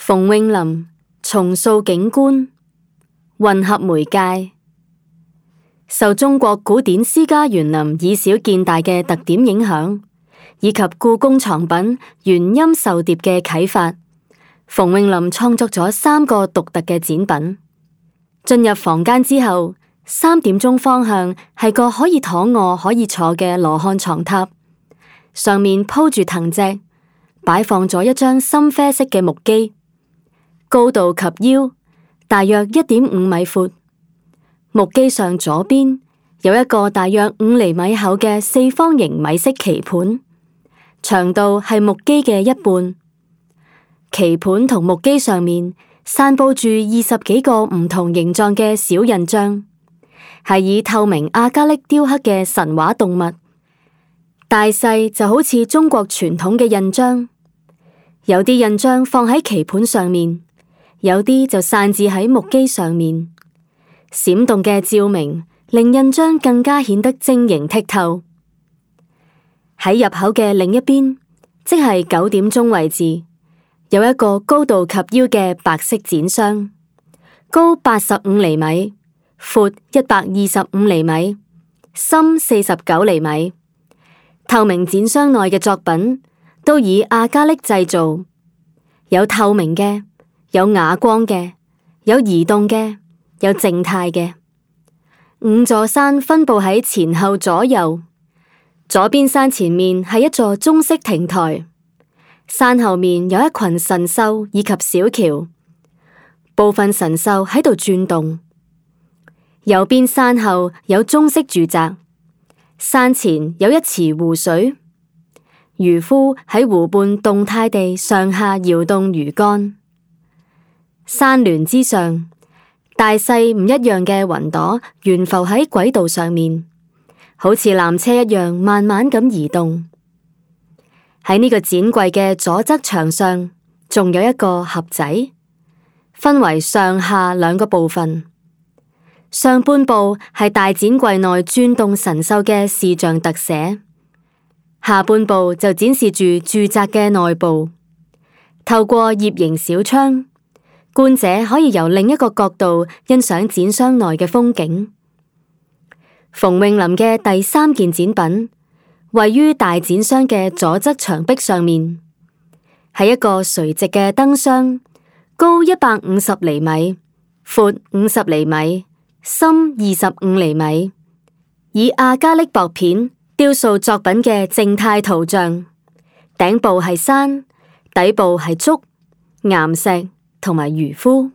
馮穎琳重塑景觀，混合媒介。受中國古典詩家園林以小見大嘅特點影響，以及故宮藏品原音授碟嘅啟發，馮穎琳創作咗3個獨特嘅展品。進入房間之後，3點鐘方向係個可以躺臥可以坐嘅羅漢床榻，上面鋪住藤席，擺放咗一張深啡色嘅木機，高度及腰，大約1.5米闊。木機上左邊有一個大約5厘米厚嘅四方形米色棋盤，長度係木機嘅一半。棋盤同木機上面散佈住20幾個唔同形狀嘅小印章，係以透明亞加力雕刻嘅神話動物，大細就好似中國傳統嘅印章。有啲印章放喺棋盤上面，有啲就散置喺木機上面。閃動嘅照明令印章更加顯得晶瑩剔透。喺入口嘅另一邊，即係9點鐘位置，有一個高度及腰嘅白色展箱，高85厘米，闊125厘米，深49厘米。透明展箱內嘅作品都以亞加力製造，有透明嘅，有啞光嘅，有移動嘅，有靜態嘅。5座山分佈喺前後左右，左邊山前面係一座中式亭台，山後面有一群神獸以及小橋，部分神獸喺度轉動。右邊山後有中式住宅，山前有一池湖水，漁夫喺湖畔動態地上下搖動魚竿。山巒之上，大細唔一樣嘅雲朵懸浮喺軌道上面，好似纜車一樣慢慢咁移動。喺呢個展櫃嘅左側牆上，仲有一個盒仔，分為上下2個部分。上半部係大展櫃內轉動神獸嘅視像特寫，下半部就展示住住宅嘅內部。透過葉形小窗，觀者可以由另一個角度欣賞展箱內嘅風景。馮穎琳嘅第3件展品位於大展箱嘅左側牆壁上面，係一個垂直嘅燈箱，高150厘米，闊50厘米，深25厘米，以亞加力薄片雕塑作品嘅靜態圖像，頂部係山，底部係竹、岩石同埋漁夫。